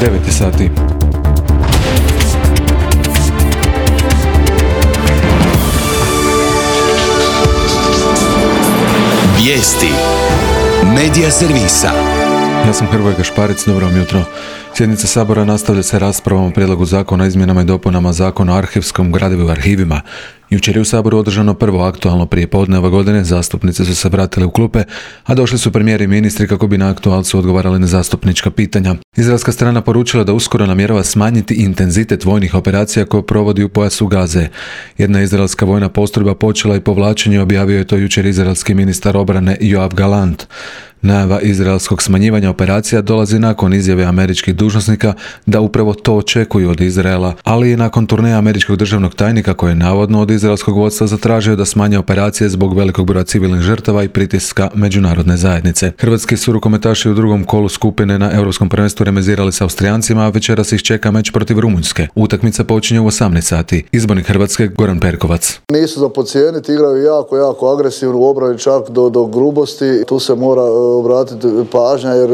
9 sati. Vijesti Medija servisa. Ja sam Hrvoje Gašparić, dobro vam jutro. Sjednica Sabora nastavlja se raspravom o prijedlogu zakona o izmjenama i dopunama Zakona o arhivskom gradivu i arhivima. Jučer je u Saboru održano prvo aktualno prijepodne ove godine, zastupnici su se vratili u klupe, a došli su premijeri i ministri kako bi na aktualcu odgovarali na zastupnička pitanja. Izraelska strana poručila da uskoro namjerava smanjiti intenzitet vojnih operacija koje provodi u pojasu Gaze. Jedna izraelska vojna postrojba počela i povlačenje, objavio je to jučer izraelski ministar obrane Joav Galant. Najava izraelskog smanjivanja operacija dolazi nakon izjave američkih dužnosnika da upravo to očekuju od Izraela, ali i nakon turneja američkog državnog tajnika koji je navodno od izraelskog vodstva zatražio da smanje operacije zbog velikog broja civilnih žrtava i pritiska međunarodne zajednice. Hrvatski su rukometaši u drugom kolu skupine na Europskom prvenstvu remizirali s Austrijancima, a večeras ih čeka meč protiv Rumunjske. Utakmica počinje u 18 sati. Izbornik Hrvatske Goran Perkovac. Nisu za podcijeniti, igraju jako agresivno u obrani, čak do grubosti. Tu se mora obratiti pažnja jer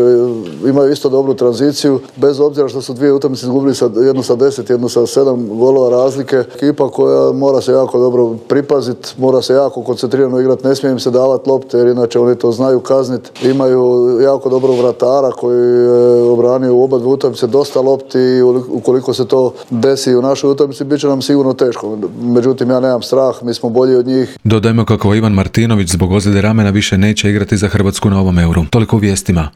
imaju isto dobru tranziciju, bez obzira što su dvije utakmice izgubili jednu sa 10, jednu sa 7 golova razlike. Ekipa koja mora se jako dobro pripaziti, mora se jako koncentrirano igrati, ne smije im se davati lopte jer inače oni to znaju kazniti. Imaju jako dobro vratara koji je obranio u oba dvije utakmice dosta lopti i ukoliko se to desi u našoj utakmici bit će nam sigurno teško. Međutim, ja nemam strah, mi smo bolji od njih. Dodajmo kako Ivan Martinović zbog ozljede ramena više neće igrati za Hrvatsku na ovom Euru. Toliko u vijestima.